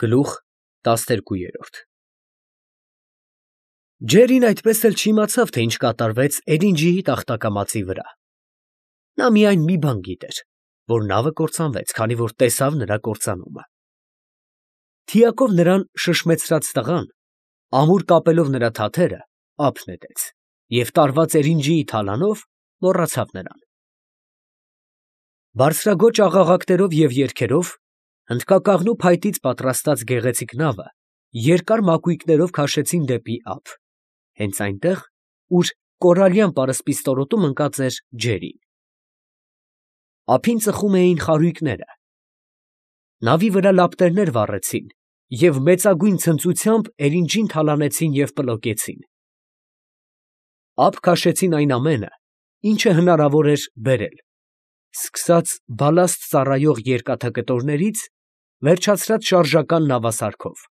Գլուխ 12 Ջերին այդպես էլ չիմացավ, թե ինչ կատարվեց Էրինջիի տախտակամածի վրա. նա միայն մի բան գիտեր, որ նավը կործանվեց, քանի որ տեսավ նրա կործանումը։ Թիակով նրան շշմեցրած տղան, ամուր կապելով նրա թաթերը, ափ նետեց և տարված Էրինջիի թալանով մոռացավ նրան։ Բարձրագոճ աղաղակներով և երգերով հնդկակաղնու փայտից պատրաստած գեղեցիկ նավը երկար մակույկներով քաշեցին դեպի ափ, հենց այնտեղ, ուր կորալյան պարսպիստորոտում ընկած էր ջերին։ Ափին ծխում էին խարույկները, նավի վրա լապտերներ վառեցին և մեծագույն ցնծությամբ Էրինջին թալանեցին և պլոկեցին։ Ափ քաշեցին այն ամենը, ինչը հնարավոր էր բերել, սկսած բալաստ ծառայող երկաթկտորներից, վերջացրած շարժական նավասարքով։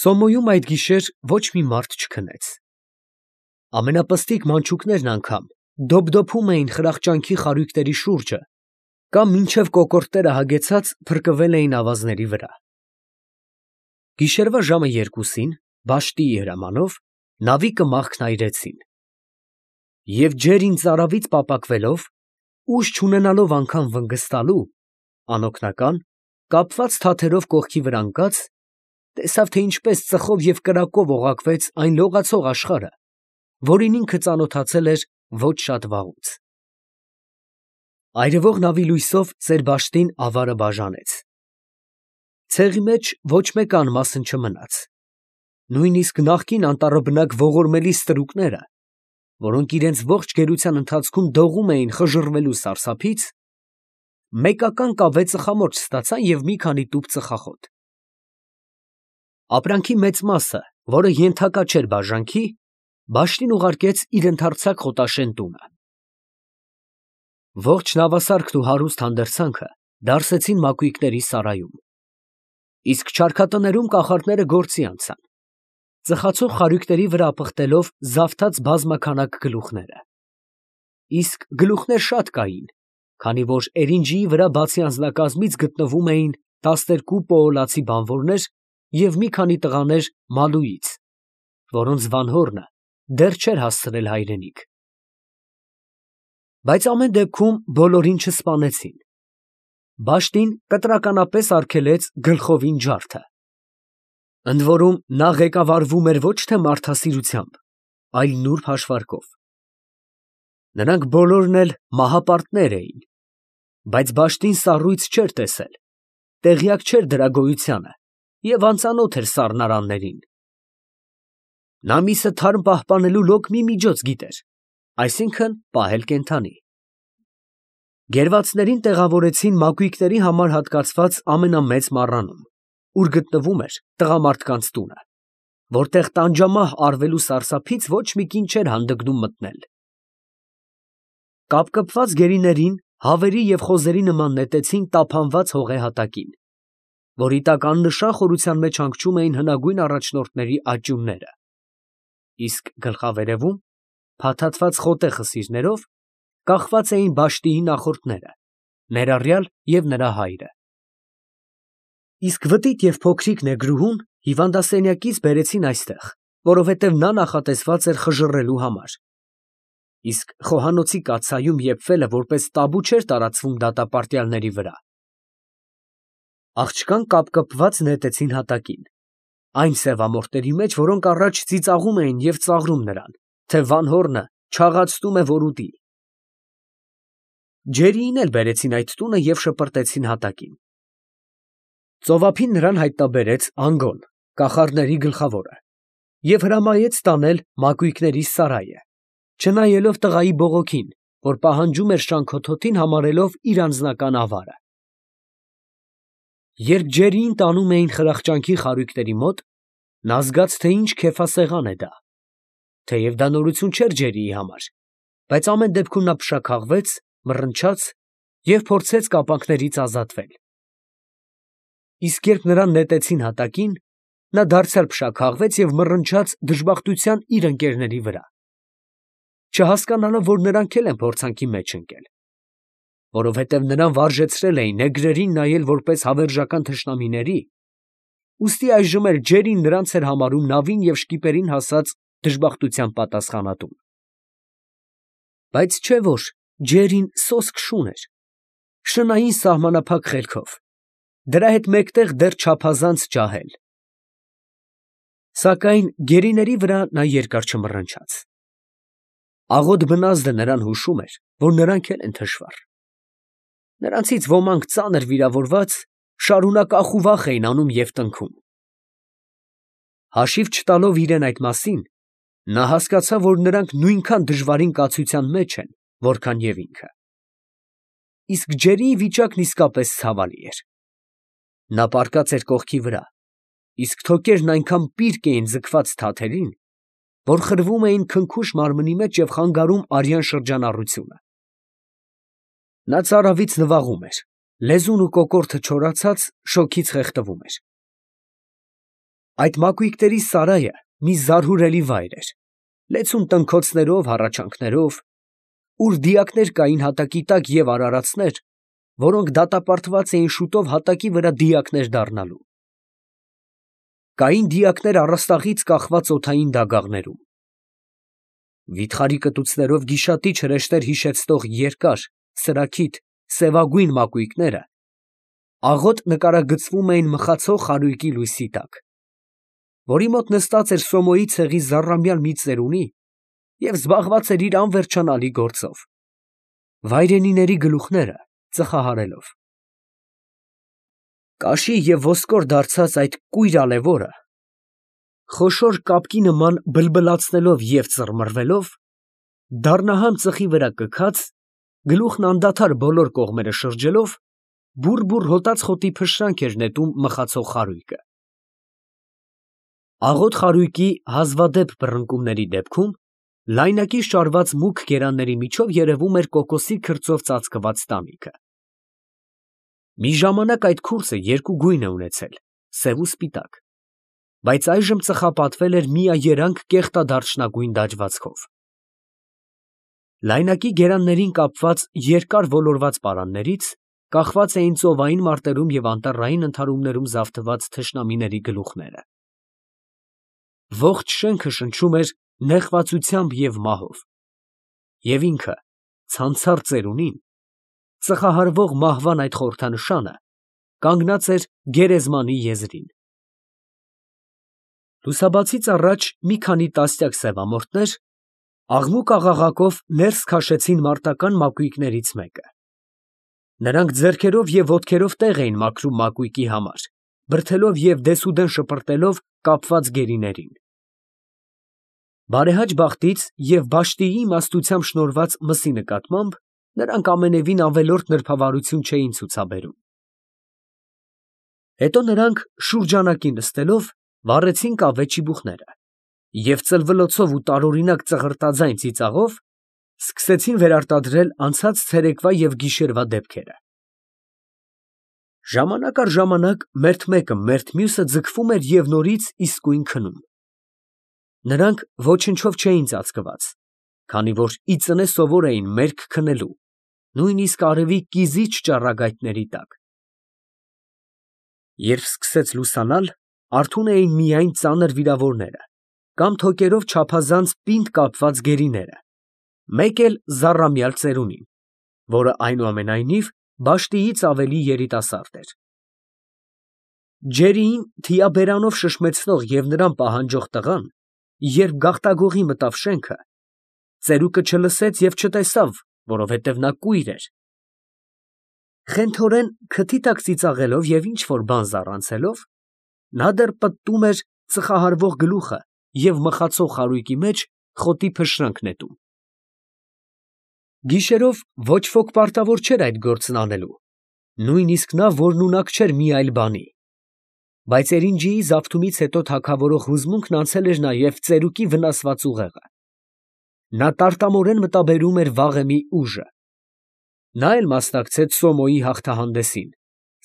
Սոմոյում այդ գիշեր ոչ մի մարդ չքնեց։ Ամենապստիկ մանչուկներն անգամ դոփդոփում էին խրախճանքի խարույկների շուրջը կամ մինչև կոկորդները հագեցած փրկվել էին ավազների վրա։ Գիշերվա ժամը 2-ին, բաշտիի հրամանով, նավի կմախքն այրեցին։ Եվ ջերին ծարավից պապակվելով, ուժ չունենալով անգամ վնգստալու, անօգնական, կապված թաթերով կողքի վրա ընկած, տեսավ, թե ինչպես ծխով և կրակով օղակվեց այն լողացող աշխարհը, որին ինքը ծանոթացել էր ոչ շատ վաղուց։ Այրվող նավի լույսով ծեր բաշտին ավարը բաժանեց։ Ցեղի մեջ ոչ մեկ անմասն չմնաց, նույնիսկ նախկին անտառաբնակ ողորմելի ստրուկները, որոնք իրենց ողջ գերության ընթացքում դողում էին խժռվելու սարսափից, մեկական կավե ծխամորճ ստացան և մի քանի տուփ ծխախոտ։ Ապրանքի մեծ մասը, որը ենթակա չէր բաժանքի, բաշտին ուղարկեց իր ընդարձակ խոտաշեն տունը։ Ողջ նավասարքն ու հարուստ հանդերձանքը դարսեցին մակույկների սարայում, իսկ չարքատներում կախարդները գործի անցան, ծխացող խարույկների վրա ապխտելով զավթած բազմաքանակ գլուխները։ Իսկ գլուխներ շատ կային, քանի որ Էրինջիի վրա բացի անձնակազմից գտնվում էին 12 պոոլացի բանվորներ և մի քանի տղաներ Մալուից, որոնց վանհորը դեռ չէր հասցրել հայրենիք։ Բայց ամեն դեպքում բոլորին չսպանեցին։ Բաշտին կտրականապես արգելեց գլխովին ջարդը։ Ընդ որում նա ղեկավարվում էր ոչ թե մարդասիրությամբ, այլ նուրբ հաշվարկով։ Նրանք բոլորն էլ մահապարտներ էին, բայց բաշտին սառույց չէր տեսել, տեղյակ չէր դրա գոյությանը և անծանոթ էր սառնարաններին։ Նա միսը թարմ պահպանելու լոկ մի միջոց գիտեր, այսինքն՝ պահել կենդանի։ Գերվածներին տեղավորեցին մակույկների համար հատկացված ամենամեծ մառանում, ուր գտնվում էր տղամարդկանց տունը, որտեղ տանջամահ արվելու սարսափից ոչ մի կին չէր հանդգնում մտնել։ Կապկպված գերիներին հավերի և խոզերի նման նետեցին տափանված հողե հատակին, որի տակ աննշան խորության մեջ հանգչում էին հնագույն առաջնորդների աճյունները, իսկ գլխավերևում, փաթաթված խոտե խսիրներով, կախված էին բաշտիի նախորդները, ներառյալ և նրա հայրը։ Իսկ վտիտ և փոքրիկ նեգրուհուն հիվանդասենյակից բերեցին այստեղ, որովհետև նա նախատեսված էր խժռելու համար, իսկ խոհանոցի կաթսայում եփվելը որպես տաբու չէր տարածվում դատապարտյալների վրա։ Աղջկան կապկպված նետեցին հատակին, այն սևամորթերի մեջ, որոնք առաջ ծիծաղում էին և ծաղրում նրան, թե վանհորը չաղացնում է, որ ուտի։ Ջերիին էլ բերեցին այդ տունը և շպրտեցին հատակին։ Ծովափին նրան հայտնաբերեց Անգոն, կախարդների գլխավորը, և հրամայեց տանել մակույկների սարայը, չնայելով տղայի բողոքին, որ պահանջում էր շանքոթոթին համարելով իր անձնական ավարը։ Երբ ջերիին տանում էին խրախճանքի խարույկների մոտ, նա զգաց, թե ինչ քեֆասեղան է դա, թեև դա նորություն չէր ջերիի համար, բայց ամեն դեպքում նա փշաքաղվեց, մռնչաց և փորձեց կապանքներից ազատվել։ Իսկ երբ նրան նետեցին հատակին, նա դարձյալ փշաքաղվեց և մռնչաց դժբախտության իր ընկերների վրա, չհասկանալով, որ նրանք էլ են փորձանքի մեջ ընկել։ որովհետև նրան վարժեցրել էին նեգրերին նայել որպես հավերժական թշնամիների, ուստի այժմ էլ ջերին նրանց էր համարում նավին և շկիպերին հասած դժբախտության պատասխանատուն։ Բայց չէ որ ջերին սոսկ շուն էր, շնային սահմանափակ խելքով, դրա հետ մեկտեղ դեռ չափազանց ջահել։ Սակայն գերիների վրա նա երկար չմռնչաց։ Աղոտ բնազդը նրան հուշում էր, որ նրանք էլ են թշվառ։ Նրանցից ոմանք ծանր վիրավորված շարունակ ախուվախ էին անում և տնքում։ Հաշիվ չտալով իրեն այդ մասին, նա հասկացավ, որ նրանք նույնքան դժվարին կացության մեջ են, որքան և ինքը։ Իսկ ջերիի վիճակն իսկապես ցավալի էր։ Նա պառկած էր կողքի վրա, իսկ թոկերն այնքան պիրկ էին ձգված թաթերին, որ խրվում էին քնքուշ մարմնի մեջ և խանգարում արյան շրջանառությունը։ Նա ծարավից նվաղում էր, լեզուն ու կոկորդը չորացած, շոգից խեղդվում էր։ Այդ մակույկների սարայը մի զարհուրելի վայր էր, լեցուն տնքոցներով, հառաչանքներով, ուր դիակներ կային հատակի տակ և արարածներ, որոնք դատապարտված էին շուտով հատակի վրա դիակներ դառնալու։ Կային դիակներ առաստաղից կախված օդային դագաղներում։ Վիթխարի կտուցներով գիշատիչ հրեշտեր հիշեցնող երկար, սրաքիթ, սևագույն մակույկները աղոտ նկարագծվում էին մխացող խարույկի լույսի տակ, որի մոտ նստած էր Սոմոյի ցեղի զառամյալ մի ծերունի և զբաղված էր իր անվերջանալի գործով, վայրենիների գլուխները ծխահարելով։ Կաշի և ոսկոր դարձած այդ կույր ալևորը, խոշոր կապկի նման բլբլացնելով և ծռմռվելով, դառնահամ ծխի վրա կքած, գլուխն անդադար բոլոր կողմերը շրջելով, բուռ-բուռ հոտած խոտի փշրանք էր նետում մխացող խարույկը։ Աղոտ խարույկի հազվադեպ բռնկումների դեպքում լայնակի շարված մուգ գերանների միջով երևում էր կոկոսի քրծով ծածկված տանիքը։ Մի ժամանակ այդ քուրձը երկու գույն է ունեցել՝ սև ու սպիտակ, բայց այժմ ծխապատվել էր միաերանգ կեղտադարչնագույն դաջվածքով։ Լայնակի գերաններին կապված երկար ոլորված պարաններից կախված էին ծովային մարտերում և անտառային ընդհարումներում զավթված թշնամիների գլուխները։ Ողջ շենքը շնչում էր նեղվածությամբ և մահով, և ինքը, ցանցառ ծերունին, ծխահարվող մահվան այդ խորհրդանշանը, կանգնած էր գերեզմանի եզրին։ Լուսաբացից առաջ մի քանի տասնյակ սևամորթներ աղմուկ֊աղաղակով ներս քաշեցին մարտական մակույկներից մեկը։ Նրանք ձեռքերով և ոտքերով տեղ էին մաքրում մակույկի համար, բրդելով և դեսուդեն շպրտելով կապված գերիներին։ Բարեհաճ բախտից և Վաշտիի իմաստությամբ շնորհված մսի նկատմամբ նրանք ամենևին ավելորդ նրբավարություն չէին ցուցաբերում։ Հետո նրանք շուրջանակի նստելով վառեցին կավե ճիբուխները և ծլվլոցով ու տարօրինակ ծղրտաձայն ծիծաղով սկսեցին վերարտադրել անցած ցերեկվա և գիշերվա դեպքերը։ Ժամանակ առ ժամանակ մերթ մեկը մերթ մյուսը ձգվում էր և նորից իսկույն քնում։ Նրանք ոչնչով չէին ծածկված, քանի որ ի ծնե սովոր էին մերկ քնելու, նույնիսկ արևի կիզիչ ճառագայթների տակ։ Երբ սկսեց լուսանալ, արթուն էին միայն ծանր վիրավորները կամ թոկերով չափազանց պինդ կապված գերիները, մեկ էլ զառամյալ ծերունին, որը այնուամենայնիվ Վաշտիից ավելի երիտասարդ էր։ Ջերիին թիաբերանով շշմեցնող և նրան պահանջող տղան, երբ գաղտագողի մտավ շենքը, ծերուկը չլսեց և չտեսավ, որովհետև նա կույր էր։ Խենթորեն քթի տակ ծիծաղելով և ինչ֊որ բան զառանցելով, նա դեռ պտտում էր ծխահարվող գլուխը և մխացող խարույկի մեջ խոտի փշրանք նետում։ Գիշերով ոչ ոք պարտավոր չէր այդ գործն անելու, նույնիսկ նա, որն ունակ չէր մի այլ բանի, բայց էրինջիի զավթումից հետո թագավորող հուզմունքն անցել էր նաև ծերուկի վնասված ուղեղը։ Նա տարտամորեն մտաբերում էր վաղեմի ուժը։ Նա էլ մասնակցեց Սոմոյի հաղթահանդեսին,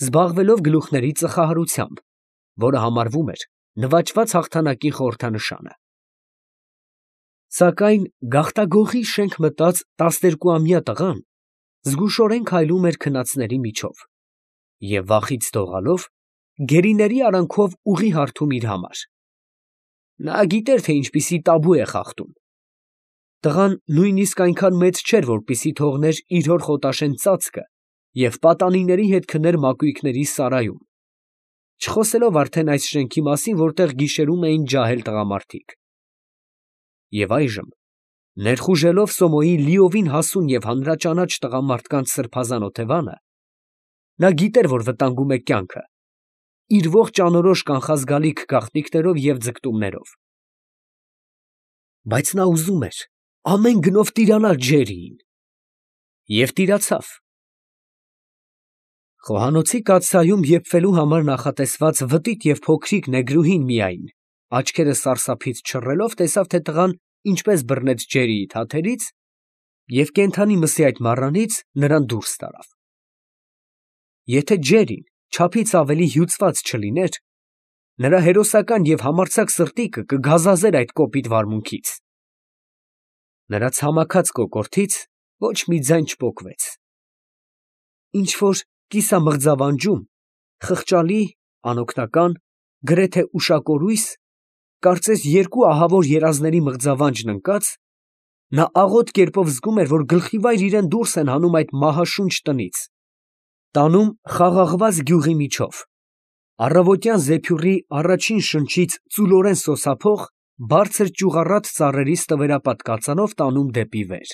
զբաղվելով գլուխների ծխահարությամբ, որը համարվում էր նվաճված հաղթանակի խորհրդանշանը։ Սակայն գաղտագողի շենք մտած 12-ամյա տղան զգուշորեն քայլում էր քնածների միջով և վախից դողալով գերիների արանքով ուղի հարթում իր համար։ Նա գիտեր, թե ինչպիսի տաբու է խախտում։ Տղան նույնիսկ այնքան մեծ չէր, որպեսզի թողներ իր հոր խոտաշեն ծածկը և պատանիների հետ քներ մակույկների սարայում, չխոսելով արդեն այս շենքի մասին, որտեղ գիշերում էին ջահել տղամարդիկ։ Եվ այժմ, ներխուժելով Սոմոյի լիովին հասուն և հանրաճանաչ տղամարդկանց սրբազան օթևանը, նա գիտեր, որ վտանգում է կյանքը, իր ողջ անորոշ կանխազգալի գաղտնիքներով և ձգտումներով։ Բայց նա ուզում էր ամեն գնով տիրանալ Ջերրիին։ Եվ տիրացավ։ Խոհանոցի կաթսայում եփվելու համար նախատեսված վտիտ և փոքրիկ նեգրուհին միայն, աչքերը սարսափից չռելով, տեսավ, թե տղան ինչպես բռնեց Ջերրիի թաթերից և կենդանի մսի այդ մառանից նրան դուրս տարավ։ Եթե Ջերրին չափից ավելի հյուծված չլիներ, նրա հերոսական և համարձակ սրտիկը կգազազեր այդ կոպիտ վարմունքից։ Նրա ցամաքած կոկորդից ոչ մի ձայն չպոկվեց։ Ինչ֊որ կիսամղձավանջում, խղճալի, անօգնական, գրեթե ուշակորույս, կարծես երկու ահավոր երազների մղձավանջն ընկած, նա աղոտ կերպով զգում էր, որ գլխիվայր իրան դուրս են հանում այդ մահաշունչ տնից, տանում խաղաղված գյուղի միջով, առավոտյան զեփյուռի առաջին շնչից ծուլորեն սոսափող, բարձր ճյուղառատ ծառերի ստվերապատ կածանով տանում դեպի վեր։